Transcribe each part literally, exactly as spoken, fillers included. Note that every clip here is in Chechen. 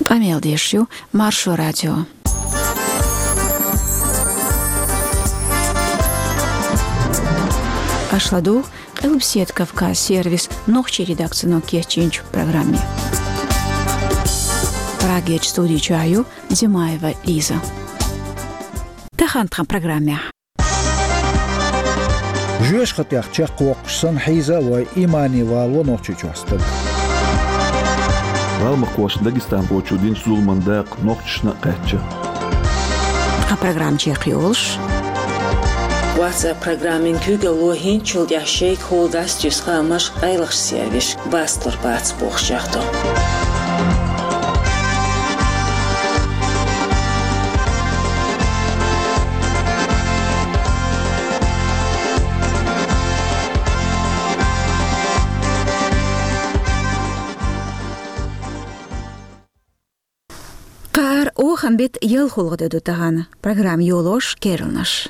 Къамел деш ю Маршо радио. Аша ладугӀу Къилбседа Кавказ сервисан нохчийн редакцино кечйинчу программе. Прагерчу студи чохь ю Димаева Лиза. Тахана тхан программехь. Жоьжахатех чекхвоккхуш санна хьийза а вой, иймане валаво Нохчийчохь стаг. ГӀалмакхошна Дагестанхочо динчу зуламан дакъа нохчашна а кхаьчна. Тхан программа чекхйолуш. WhatsApp программин куьйгалло хӀинцачул тӀаьхьа шайгахула дӀасатуьйсу хаамаш къайлахчу сервисашка, бастлур бац бохуш чӀагӀдо. Кхаара оханан беттан ялхолгӀа де ду тахана. Программа йолош керланаш.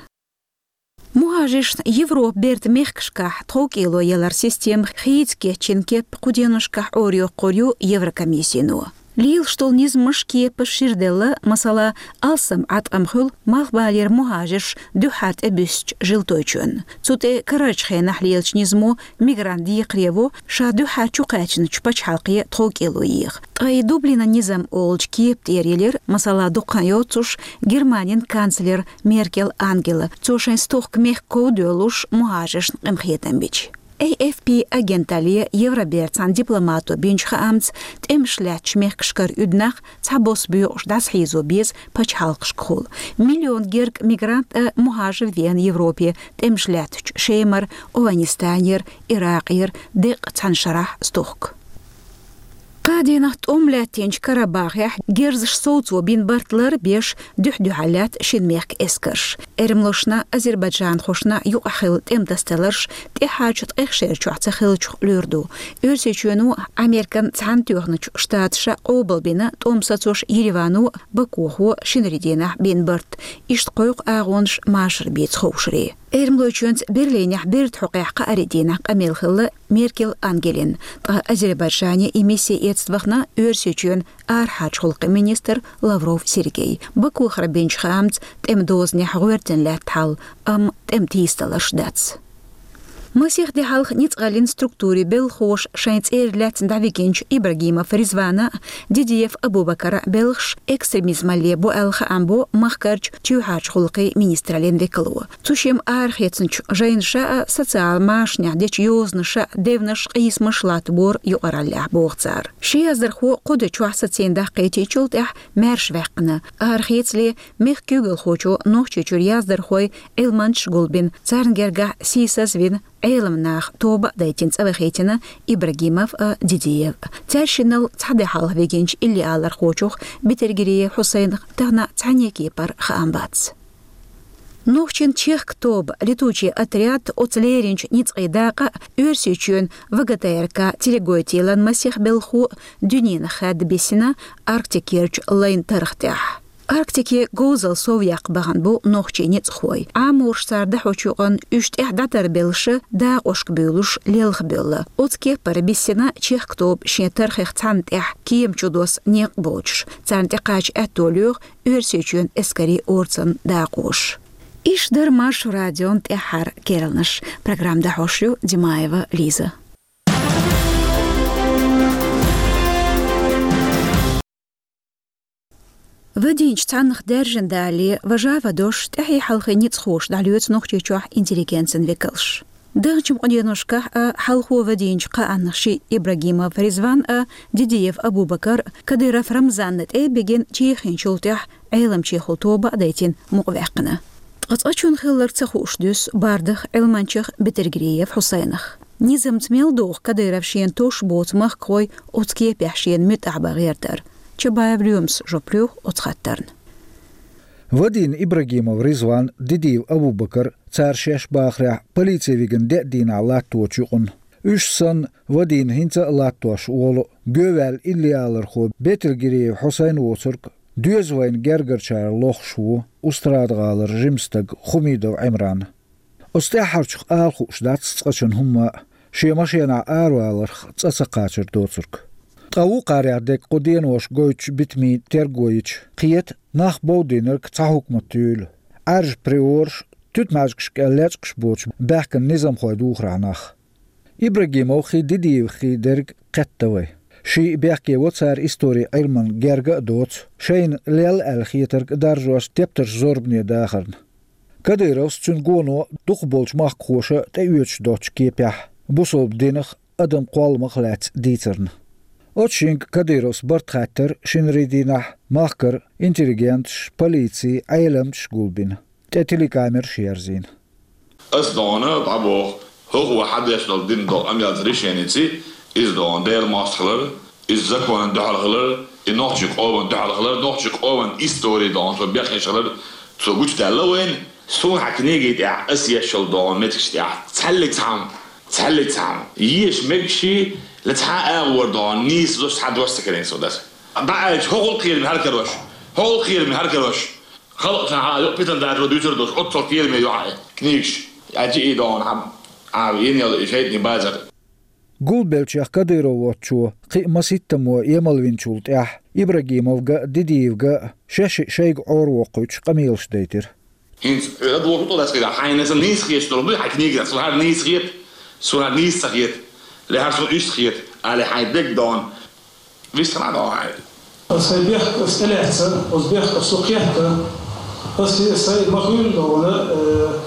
МухӀажаршна Европа бертан мехкашкахь тховкӀело яларан система хийца кечйина кеп кху деношкахь Ӏорайоккхур ю Еврокомиссино. Лелаш долу низамаш, кепаш шира делла, масала, алсам Ӏаткъам хуьлу малхбалера мухӀажарш дуьххьара тӀебуьссучу Желтойчоьнна. Цу тӀе карарчу хенахь лелачу низамо мигрант декхаре во, ша дуьххьара чукхаьчначу пачхьалкхе тховкӀело еха. Ткъа и Дублинан низам олучу кепа тӀера елира, масала, дукха хан йоццуш, Германин канцлер Меркел Ангела. Цо шайн стохка мехкан ков доьллуш, мухӀажаршна къинхетам бича. A F P агенталле Евробертан цхьана дипломато бинчу хаамца, тӀемаш лаьттачу мехкашкара уьднах цхьабосса боькъуш дӀасахьийзо беза пачхьалкхашкахула. Миллион герга мигрант а мухӀажар веана Европе, тӀемаш лаьттачу Шемара, ОвхӀанистанера, Иракъера деккъа цхьана шарахь стохка. Кхаа дийнахь тӀом лаьттинчу Карабахехь герзаш совцо бина барт лар а беш, дуьхь-дуьхьал лаьтта шина мехкан эскарш. Эрмалошна, азербайджанхошна юкъахь хилла тӀеман тасадаларш тӀаьххьарчу ткъех шерачохь ца хиллачух луьра ду. Оьрсийчоьно, Американ Цхьаьнатоьхначу Штаташа къобалбина тӀом сацош Еревано, Бакухо шинарин дийнахь бина барт. Иштта кхойкху агӀонаш машар бийца ховшаре. Эрмалойчоьнца Берлинехь бертан хьокъехь кхаарин дийнахь къамел хилла Меркел Ангелин, ткъа Азербайджане и мисси эцна вахана Оьрсийчоьнан арахьарчу гӀуллакхийн министр Лавров Сергей. Бакухара бинчу хаамца, тӀеман дозанехь гӀоьртина лаьтта хьал, амма тӀеман тийсадаларш дац. Масех де хьалха ницкъаллин структурийн белхахоша шайн цӀера лаьцна дӀавигинчу Ибрагимов Ризвана а, Дидиев Абубакара а белхаш экстремизмалле бу аьлла хаам бо махкарчу чоьхьарчу гӀуллакхийн министраллин векало. Цу шимма арахецначу жайнаша а, социал машанехь дечу йозанаша а девнаш, къийсамаш латтабора юкъараллехь, боху цара. Ши яздархо кху де чохь сацийна даккхийтинчул тӀаьхьа маьрша ваьккхина. Арахецале мехкан куьйгалхочо Нохчийчуьра яздархой, Ӏилманчаш гулбина, царна гергахь сийсазвина, Ӏелам наха тоба а дайтина цӀа вахийтина Ибрагимов а, Дидиев а. Цаьршиннал цхьа де хьалха вигинчу иллиалархочух, Бетергериев Хьусайнах, тахана цхьаьннен кепара хаам бац. Нохчийн чехка тоба, летучий отряд, оцу леринчу ницкъийн дакъа а, Оьрсийчоьнан В Г Т Р К телегойтийлан масех белхахо а дуьненах хаьдда биссина Арктикерчу лайн тарх тӀехь. Арктике говзалла сов яккха бахана бу нохчийн ницкъахой. Ӏамораш цара дӀахьочу юкъанна уьш тӀаьхьа дӀатарбеллаш, дакъошка буьйлуш, лелхабевлла. Оцу кепара биссина чехка тоба шен тархех цхьанна тӀехь кема чу досса некъ боцуш. Царна тӀекхача аьтто лоьху Оьрсийчоьнан эскарийн орцанан дакъоша. Иш дара Маршо радион тӀаьххьара керланаш. Программа дӀахьош ю Димаева Лиза. Вадийначу цхьаннах даьржина далале, важа а вадош, тӀаьхье-хьалхе ницкъахоша дӀалоьцу Нохчийчохь интеллигенцин векалш. Даханчу къуденошкахь а, хьалхо вадийначу кхааннах шиъ, Ибрагимов Ризван а, Дидиев Абубакар а, Кадыров Рамзанна тӀе а бигина, чехийначул тӀаьхьа Ӏеламчехула тоба а дайтина, мукъаваьккхина. Ткъа цкъачунна хилларг ца хууш дуьсу бардах, Ӏилманчех Бетергериев Хьусайнах. Низамца мел догӀу Кадыров шена тосуш боцу махкахой оцу кепехь шена муьтӀахь бан гӀертар? Чабаев Лоьмас жоп лоьху оцу хаттарна. Вадийна Ибрагимов Ризван, Дидиев Абубакар, цара шаьш бахарехь, полице вигина деа дийнахь латточу юкъанна. Уьш санна, вадийна хӀинца а латтош волу, гоьваьлла иллиалархо Бетергериев Хьусайн воцург доьза вайна гергарчара лохуш ву Устрада-гӀалара жима стаг Хумидов Ӏимран. Оцу тӀаьххьарчух ала хууш дац цкъачунна хӀумма а, шен машенахь араваларх цӀа ца кхачар доцург. Ткъа вукхарех дерг кху денош гойтуш битамийн терго йича, кхета нах бовдийнарг цхьа хӀукмат юйла. Ӏаьржа приораш, туьтмаьжгашка лечкъаш боцуш баьхкина низамхой духарехь нах. Ибрагимовхий, Дидиевхий дерг кхетта вай. Шиъ бехке во цара истори Ӏилман герга а доцу, шайна лелла аьлла хетарг а даржош тептарш зорбане дахарна. Кадыровс, цуьнан гоно дукхахболчу махкахоша тӀеоьцуш доцучу кепехь, бусалба динах, адам кхолламах лаьцна дийцарна. Оцу шинга Кадыровс барт хаттар шинарий дийнахь махкара интеллигенташ, полици, Ӏеламчаш гулбина, тӀе телекамераш ерзийна. Ас догӀна дӀабоху, хӀокхо хьан деш долу дина долу амялца решеница, иза догӀна Делан мостагӀалла, иза законан дуьхьал хилар, и нохчийн къоман дуьхьал хилар, нохчийн къоман истори догӀна, цо бехъеш хилар, цо гучудаьлла вайна. Суна хьан книги тӀехь ас еш йолу догӀна меттигаш тӀехь цхьаьллиг цхьамма, цхьаьллиг цхьамма еша мегаш, я цхьа а агӀор догӀна нийса дош цхьа дош ца карийна со даса. ДӀа аьлча, хӀокхул кхераме хӀара карош, хӀокхул кхераме хӀара карош. Халкъ цхьа хьан юкъа питана дачо дуьйцур долуш, оццул кхераме ю хьан книгаш. Аьлча и догӀна хьан, а, йина йолу и шайтӀанийн базар. Гулбеллачех Кадыров воцчо кхин а масийттаммо емалвинчул тӀаьхьа Ибрагимовга а, Дидиевга а шаьш-шиъ шайга Ӏоравоккхуьйтуш къамелаш дайтира. ХӀинца хьоьга доху тӀо дацкъа, хьайна сан нийса хеташ долу дуй хьайн книгах, суна хӀара нийса хета, суна хӀара нийса ца хета, ле хӀара суна иштта хета, али хьайн дегга догӀна. Вист хьан а догӀу хьайн. Сайн бехк ас тӀелаьцна, оцу бехк ас цу кхетта, ас сайн ма хуьйла догӀна, э,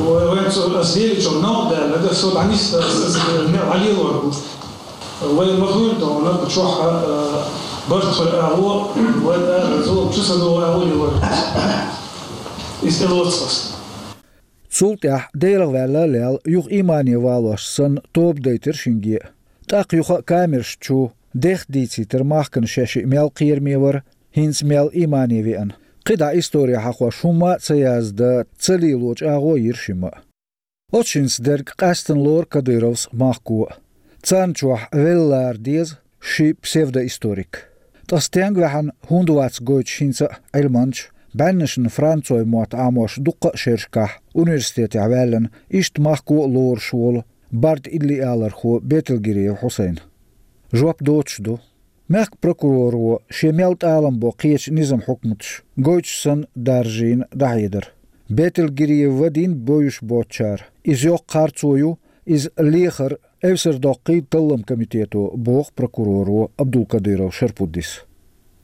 вай, вайн цу ас лелачух новкъа даьлла, ас со дӀанисда, ас, ас, э, не, Ӏалелор бу. Вай ма хуьйла догӀна, чохь, э, барт хир агӀо, вай, э, зулам чу ца догӀу агӀо лелор. Иза тӀелоцу ас. Цул тӀаьхьа Делах ваьлла а лелла, юха иймане валош санна, тоба дайтира шинге а. ТӀаккха юха а камераш чу дех дийцийтира махкана шаьш-шиъ мел кхераме вара, хӀинца мел иймане веана. КхидӀа истори хьахош хӀумма а ца яздан, ца лелочу агӀо йира шимма а. Оцу шинца дерг къаьстина лору Кадыровс махко а. Царна чохь велла лара деза ши псевдоисторик. Ткъа стенга ваьхьана, хӀунда вац гойтуш хӀинца а Ӏилманча, бӀеннашна францойн мотт Ӏамош дуккха а шерашкахь университетехь ваьллина, иштта махко а лоруш волу барда иллиалархо Бетелгириев Хьусайн? Жоп доцуш ду. Мехкан прокуроро шен мел тӀалам бо кхечу низам хьукматаш гойтуш санна даржийна дӀахьедар. Бетелгириев вадийна бовзуш боцучара, иза йоккха харцо ю, иза лехар эвсар доккхий таллам комитето, боху прокуроро Абдулкадыров Шарпуддис.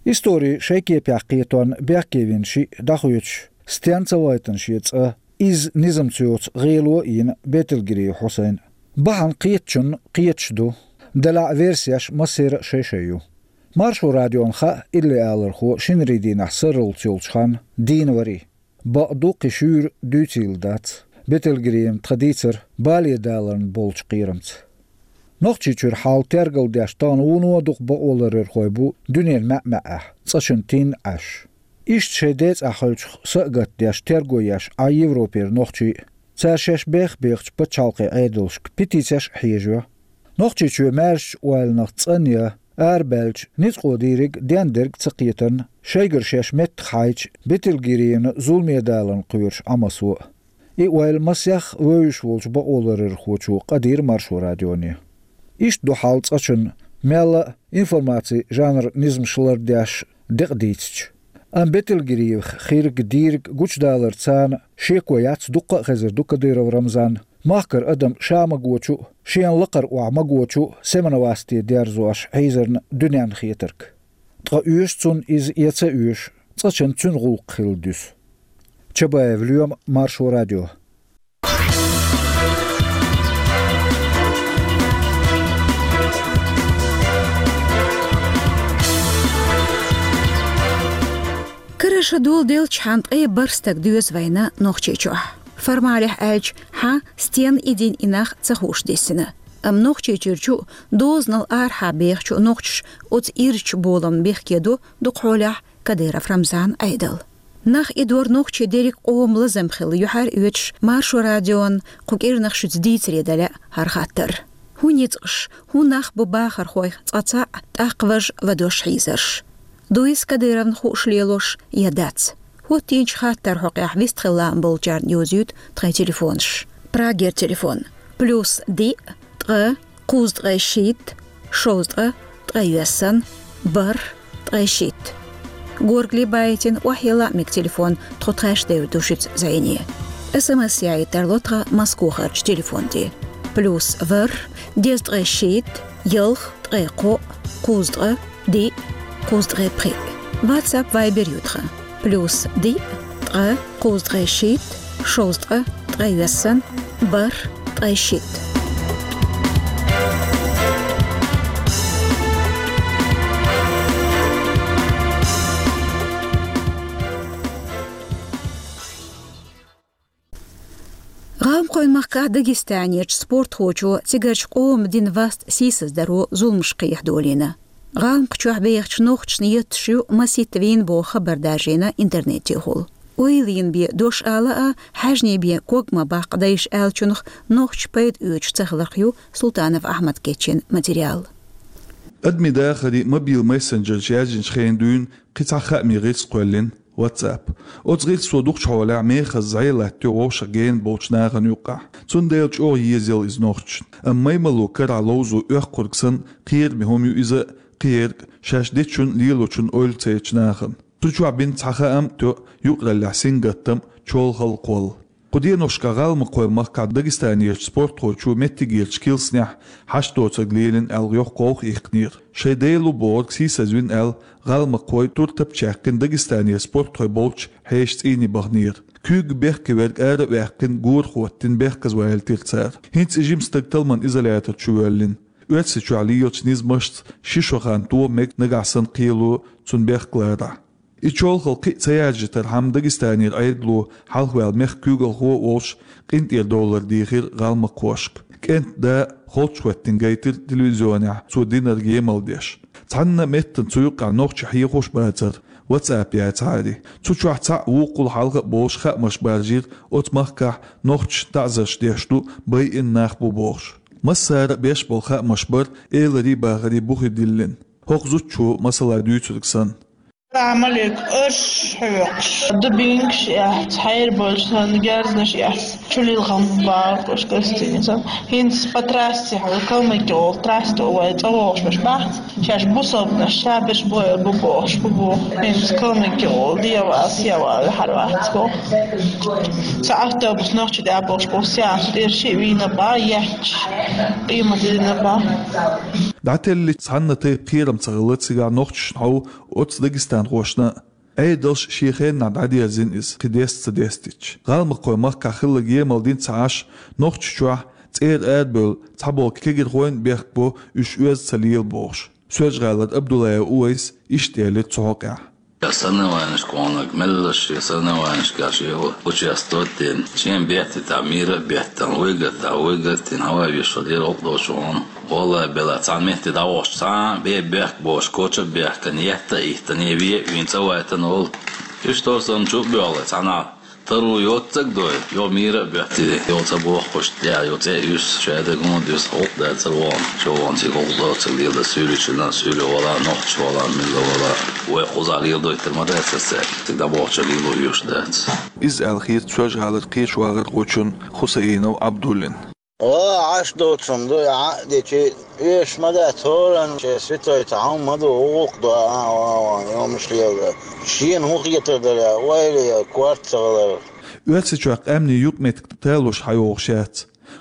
Истори шайн кепехь кхетон бехке вина шиъ дӀахоьцуш, стенна ца вайтина шен цӀа, изза низамца йоцу гӀело а йина Бетелгириев Хьусайн. Бахьана кхетачунна кхеташ ду, делахь а версеш массеран а шай-шай ю. Маршо радиона хаьа иллиалархо шинарийн дийнахь сарралц йолчу ханна дийна варий. Бакъду, кхин шуьйра дуьйцийла дац. Бетелгириевна тхан дийцар бале даларна болчу кхерамца. Нохчийчуьра хьал тергалдеш тахана вуно а дукха бакъоларъярхой бу дуьненан маьӀ-маьӀӀехь, цӀа чун тин Ӏаш. Иштта шайн ден цӀахь хьуьлчух са а гатдеш, терго еш Ӏа Европера нохчий а. Цара шаьш бех-бехачу пачхьалкхийн Ӏедалшка петицеш а хьежайо. Нохчийчоь маьршачу ойланах цӀанъян я арабаьлча, ницкъо дийриг дендерг а ца кхетарна, шайгара шаьш меттах хьайча, Бетелгириевна зуламе даларна кхоьруш Ӏа массо а. И ойла масех вевзаш волчу бакъоларъярхочо къадийра Маршо радионе. Иштта ду хьал цӀа чун, мелла а информацин жанран низамаш лардеш декъа дийцича. Амма Бетелгириевх хирг дийриг гучудалар царна шеко яц, дуккха а хезар ду Кадыров Рамзан, махкара адам ша магочу а, шена лакхара охьа магочу а Семеновасте дерзош хьийзарна дуьненна хетарг. Ткъа оьшу цунна иза я ца оьшу, цкъачунна цуьнан гӀуллакх хилла дуьсу. Чабаев Лоьма, Маршо радио. Караша доладелча хьан ткъе бархӀ стаг доьзна вайна Нохчийчохь. Формалехь аьлча, хьан стенна и дин, и нах ца хууш диссина. Амма Нохчийчуьрчу а, дозанал арахьа бехачу а нохчаша оцу ирча боламна бехке до дукха хьолехь Кадыров Рамзан Ӏедал. Нах и дор нохчий дерриг къоман лазам хилла юьхьар оьцуш, Маршо радион кху кӀирнах шуьца дийцаре дан лаьа хӀара хаттар. ХӀун ницкъаш, хӀун нах бу бахархойх цкъа цхьаъ, тӀаккха важа ладош хьийзарш? Дуй иза Кадыровна хууш лелош я дац? ХӀоттийначу хаттаран хьокъехь вистхила лаам болчарна йовзуьйту тхайн телефонаш. Прагера телефон: плюс диъ, ткъа, кхузткъе шийтта, шовзткъа, ткъе йоьссан, бархӀ, ткъе шийтта. Горгали байтина охьелла мега телефон тхо тхаьш девр ду шуьца зӀене. СМС яйта тарло тхан Москвахарчу телефон тӀе. Плюс ворхӀ, дезткъе шийтта, ялх, ткъе кхоъ, кхузткъа, диъ, кхузткъе пхиъ. WhatsApp, Viber ю тхан. Плюс диъ, ткъа, кхузткъе шийтта, шовзткъа, ткъе йоьссан, бархӀ, ткъе шийтта. ГӀалмакхойн махкахь Дагестанерчу спортхочо цигарчу къоман дина васт сийсаздаро зуламаш кхехьадолийна. ГӀалмакхчохь бехачу нохчашна етташ ю масийтта вийна боху хабар даржийна интернетехула. Ойла йина бен дош ала а, хьаьжний бен ког ма баккха дайша аьллачунах нохчаша пайда оьцуш ца хиларх ю Султанов Ахьмада кечйина материал. Адамийн дахарехь мобил мессенджераш яьржинчу хенахь дуьйна кхин цхьа хаамийн гӀирс кхоьллина WhatsApp. Оцу гӀирсо дукхачу хьолехь мехаза зӀе латтайо вовшах гена болчу нахана юккъехь. Цундела чӀогӀа езаелла иза нохчашна. Амма маймалло карахь ловзо оьккхург санна, кхераме хӀума ю иза, кхиерг шаьш дечун, лелочун ойла ца ечу нахана. Цу чохь бина цхьа хаам тоьу юкъараллехь сингаттам, чолхалла кхолла. Кху деношкахь ГӀалмакхойн махкахь Дагестанерчу спортхочо меттигерчу килсанехь хьашт доцург лелийна аьлла йоккха гӀовгӀа иккхинера. Шайн дела ву бохург сийсазвина аьлла, гӀалмакхой туртап чаьккхина Дагестанера спортхой болчу хьешан цӀийне баханера. Куьйга бехке верг ара а ваьккхина, гора хӀоттийна, бехказа валийтира цара. ХӀинца и жима стаг талламан изолятор чу воьллина. Оьрсийчохь лелачу низамашца ши шо хан тоха мега, нагахь санна кхело цунна бехк ларахь. И чолхалла кхин а ца яржийтархьама, Дагестанера Ӏедало хьалхаваьлла мехкан куьйгалхо а волуш, къинтӀера доллар дийхира гӀалмакхошка. КӀентан да холчахӀоьттина гайтира телевизионехь цо динарг емал деш. Цхьанна а меттана цу юккъехь нохчий хьехош бацара, WhatsApp яцахьара. Цу чохь цхьаъ вукхул хьалха а болуш хаамаш баржийра оцу махкахь нохчашна таӀзарш деш ду, байина нах бу бохуш. Массара а беш болу хаамаш бара, эларий, бахарий бухе диллина. ХӀокху зудчо масала дуьйцург санна. Салам алейкум, арш хьоькхуш, дубинкаш эцна, хьерболуш санна, герзнаш эцна, чулилхам бакъуш гостиница. ХӀинца по трассе хьо, Калмыкия олу трасса тӀе вай цӀа вогӀуш бац. Шаьш бусалбанаш, ша берш бойла бу бохуш бу бу. ХӀинца Калмыкия олу, дегӀан вала, сен вала ваьхьар вац боху. Цхьа автобус нохчий дӀабохуш бу, сеанс тӀера шиъ вийна бан, етташ, къемат дина бан. ДӀателлича цхьанна тайпа кхерам ца хилла цигахь нохчашна хьовха оцу дагестанхошна а. Ӏедалш шен хеннахь дӀадерзина иза, кхин деста ца дестича. ГӀалмакхойн махкахь хилларг емал дина ца Ӏаш, Нохчийчохь цӀера арабевлла цхьаболу кегирхойн а бехк бо, уьш оьзда ца лела бохуш. Соьлжа-ГӀалара Абдуллаев Увайса иштта элира цу хьокъехь. Я соревнованешка ваханарг меллаша шен соревнованешкахь шен участвовать дина, шен беттан тӀехь мира а беттан, выиграть а, выиграть дина, хьавай вешан лера гӀуллакх долчу вахана. Валлай, бела цхьана метте дӀавахча, цхьа а бен бехк боцуш, коча а баьхкина, етта а йиттина, вен а вийна, цӀа вайтина волу. Иштта санна чу а боьлхий, цхьанхьа таро йоццаг дой, йо мира а боьттий, йо ца бохкуш, тӀехь йо цӀе а юьсу, шадерг хӀунда юьсу, гӀуллакх дацара вон, чо вон цига гӀуллакх доцург лела дан, суьйле чина, суьйле вала, нохча вала, милла вала. Вай кхузахь леладойтур ма дацара цаьрга, цига дӀабохча лело йош дац. Иза аьлла хета Соьлжа-ГӀалара кхечу вахархочун Хусаинов Абдуллин. Ва Ӏаш доцун ду, Ӏа а дечи, оьшуш ма дац, хӀоранна шен святой цхьа хӀума ма ду, гӀуллакх до, а, а, а, йомаш лела. Шена хӀун хетар дара, ойла я, корта ца хилар. Оьрсийчохь къаьмнийн юкъаметтиг талуш хьайогӀуш яц.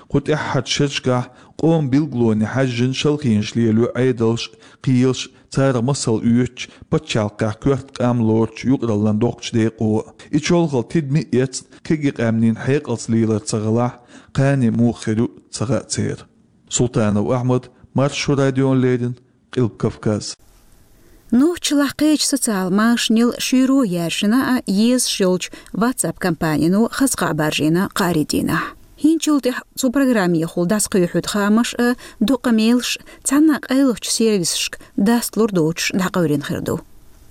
Кху тӀаьххьарчу шерашкахь къоман билгалонех хьаьжжина шалхенаш лелайо Ӏедалш а, кхелаш а, царах масал оьцучу пачхьалкхехь коьрта къам лоручу юкъараллин доккхачу декъо а. И чолхалла тидаме а эцна, кегий къаьмнийн хьекъалца лелар ца хилахь, кхане муха хир ю ца хаьа церан. Султанов Ахьмад, Маршо радиона леррина, Къилба Кавказ. Нохчалахь кхечу социал машанел шуьйро яьржина а, езаш йолчу WhatsApp компанино хаза кхаъ баржийна кхаарин дийнахь. ХӀинцачул тӀаьхьа цу программехула дӀасакхоьхьуьйту хаамаш а, дукха мелаш а цхьанна а къайлахчу сервисашка дасталур доцуш дӀакъевлина хир ду.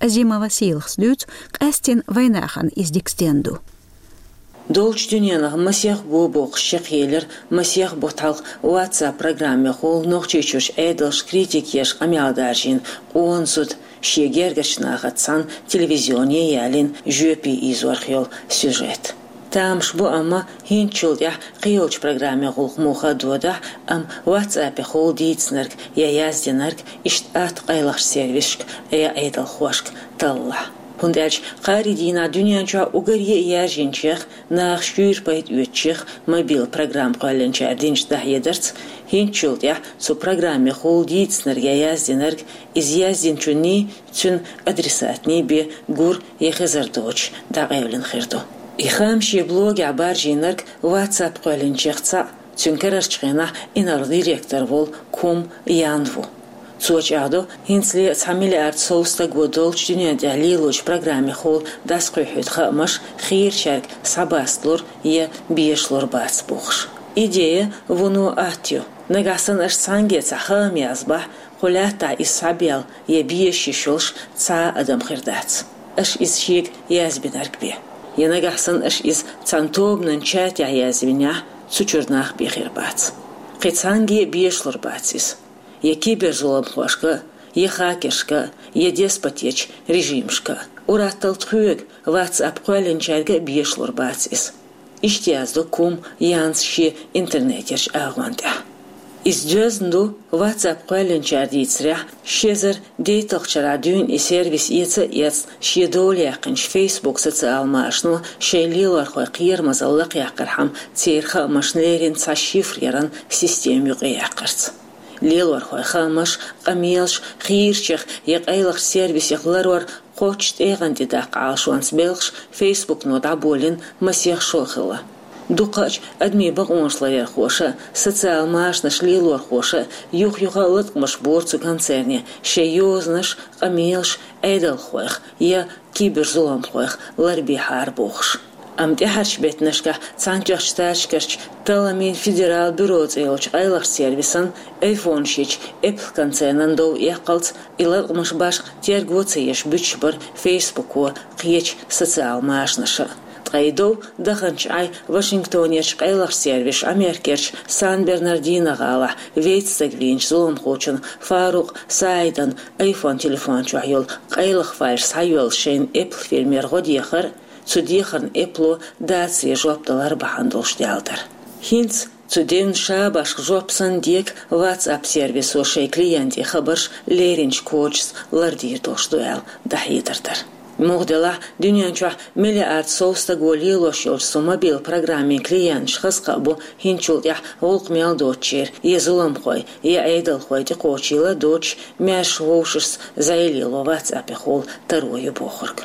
Азимова Сийлахас дуьйцу, къаьсттина вайнахана иза дика стенна ду. Долчу дуьненах масех го боккхуш чекхъелира масех бутт хьалха WhatsApp программехула Нохчийчуьрчу Ӏедалшна критика еш къамел даржийна къона зуда. Шен гергарчу нахаца цхьаьна телевизионе ялийна жоьпе ийзорх йолу сюжет. Тамаш бу, амма хӀинцачул тӀехьа кхыйолчу программин гӀуллакх муха а додахь, амма WhatsApp-ехула дийцинарг я яздинарг иштта атта къайлахчу сервисашка я Ӏедалхошка таллахь. ХӀунда аьлча кхаарин дийнахь дуьнен чохь уггаре а яьржинчех, наха шуьйра пайда оьцучех мобил программа кхоьллинчара динчу дӀахьедарца, хӀинцачул тӀехьа цу программехула дийцинарг я яздинарг, иза яздинчунний, цуьнан адресатний бен гур я хезар доцуш дӀакъевлина хир ду. И хаам шен блогехь баржийнарг WhatsApp кхоьллинчех цхьаъ, цуьнан карарчу хенахь инарла директор волу Кум Ян ву. Цо чӀагӀдо, хӀинцале цхьа миллиард сов стаго долчу дуьнен тӀехь лелочу программехула дӀасакхуьйхьуьйту хаамаш хийрачаьрга схьабасталур я бешалур бац бохуш. Идея вуно атта ю. Нагахь санна аша цхьаьнгге цхьа хаам язбахь, кху лаьттахь иза схьабелла я безаш йиш йолуш цхьа а адам хир дац, аша иза шега язбинарг бен. Я нагахь санна аша иза цхьана тобанан чатехь язвинехь, цу чуьра нах бен хир бац. Кхин цхьаьнгге а бешалур бац иза. Я киберзуламхошка, я хакершка, я деспотечу режимашка. Ур-атталла тхоьга, WhatsApp кхоьллинчаьрга а бешалур бац иза. Иштта яздо Кум Янс шен интернетерчу агӀон тӀехь. Иза доьзна ду, WhatsApp кхоьллинчара дийцарехь, ши эзар дейтталгӀачу шарахь дуьйна и сервис эца а эцна, шен дола яьккхинчу Facebook социал машано шайн лелорхойн кхерамазалла лакхъяккхархьама, церан хаамашна леррина цхьа шифр яран система юкъаяьккхарца. Лелорхойн хаамаш, къамелаш хийрачех я къайлахчу сервисех ларор кхоччуш тӀегӀан тӀе даккха Ӏалашонца белхаш Facebook-но дӀаболийна масех шо хилла. Дукхачу адамийн бакъонаш ларъярхоша, социал машанашна лелорхоша юх-юха а латкъамаш бора цу концерне, шайн йозанаш, къамелаш Ӏедалхойх я киберзуламхойх ларбехьара бохуш. Амма тӀаьхьарчу беттанашкахь Цхьаьнатоьхначу Штаташкарчу Талламийн федерал бюро цӀе йолчу къайлахчу сервисан айфонаш йечу Apple концернан дов эккхалц и латкъамаш башха терго ца еш буьтуш бара Facebook-о, кхечу социал машанаша. Ткъа и дов даханчу Ӏай Вашингтонерчу къайлахчу сервиша Америкерчу Сан-Бернардино гӀалахь вейтта стаг вийначу зуламхочун Фарукъ Саидан iPhone телефон чохь йолу къайлаха файлаш схьайоьллуш шайна Apple фирмера гӀо дехар, цу дехарна Apple-о дацаре жоп далар бахьана долуш даьлла дара. ХӀинца цу девнан шабашка жоп санна дега WhatsApp сервисо шайн клиентийн хабарш леринчу кодашца лардийр долуш ду аьлла дӀахьедар дара. Муха делахь, дуьнен чохь миллиард сов стаго лелош йолчу цу мобил программин клиенташ хаза кхаъ бу хӀинцачул тӀехь гӀуллакх мел доцучеран, я зуламхой, я Ӏедалхой тӀекхочийла доцуш, маьрша вовшашца зӀе лело WhatsApp-ехула таро ю бохург.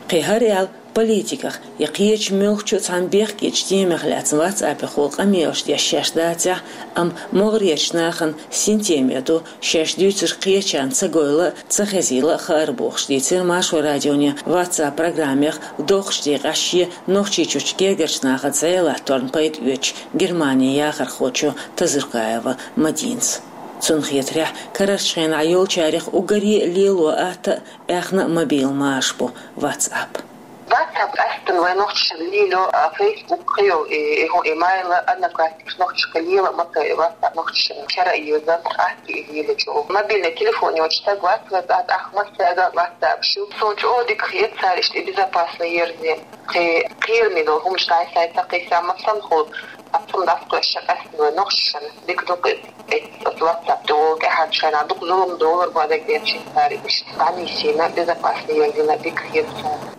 Кхин хӀара аьлла, политиках я кхечу муьлххачу цхьана бехкечу темех лаьцна WhatsApp-ехула къамелаш деш шаьш дацахь, амма могӀарерчу нахана синтеме ду, шаьш дуьйцург кхечарна ца гойла а, ца хезийла а хаар бохуш, дийцира Маршо радионе WhatsApp программех доккхачу декъехь шен Нохчийчуьрчу гергарчу нахаца зӀе латторна пайда оьцучу Германин яхархочо Тазуркаева Мадинас. Цунна хетарехь, карарчу хенахь йолчарех уггаре а лело атта а, аьхна а мобил маша бу WhatsApp. WhatsApp къаьсттина вай нохчашна лело, а, Facebook кхин йолу, и, и хӀун, и Mail, Одноклассникаш нохчашка лела а ма ца, и WhatsApp нохчашна шера а йоза, атта и лелачу. Мобильный телефон йоцу стаг вац вай, тӀаккха массаьрга WhatsApp шу. Суна чӀогӀа дика хета цара иштта и безопасный ерзина. Кхин кхераме долу хӀуманаш дӀасайта кхийса ма санна хуьлу, а цунна дӀасакхоьссича къаьсттина вай нохчашна дика ду-кх иза. Оцу WhatsApp тӀе вогӀу тӀаьхьарчу хенахь дукха зулам долура бу дагадеъча цара иштта дӀанисйина, безопасный ерзина дика хета цара.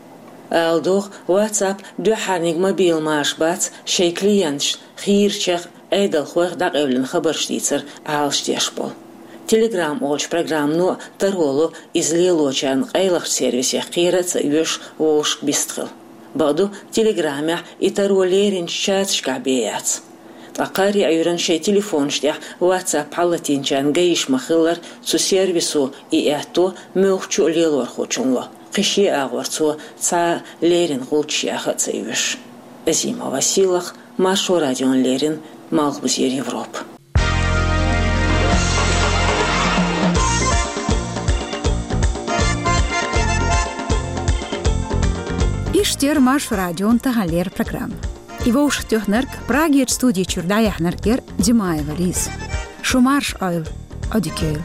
Ала догӀу, WhatsApp дуьххьарниг мобил маша бац шайн клиенташна хийрачех, Ӏедалхойх дӀакъевлина хабарш дийцар Ӏалашдеш болу. Telegram олучу программано а таро ло иза лелочарна къайлахчу сервисех кхера а ца оьшу вовшашка бистхила. Бакъду, Telegram-ехь и таро леринчу чаташкахь бен яц. Ткъа кхаарин Ӏуьйранна шайн телефонаш тӀехь WhatsApp хьалатийначарна гайиш ма-хиллара, цу сервисо и аьтто муьлххачу а лелорхочунна ло, кхин шен агӀор цо цхьа а леррина гӀулчаш яха а ца оьшу. Азимова Сийлаха, Маршо радиона леррина, Малхбузера Европа. Иштта яра Маршо радион таханлера программа. И вовшахтоьхнарг, Прагерчу студи чуьра дӀаяьхьнарг яра Димаева Лиза. Шу марша Ӏойла, Ӏодика йойла.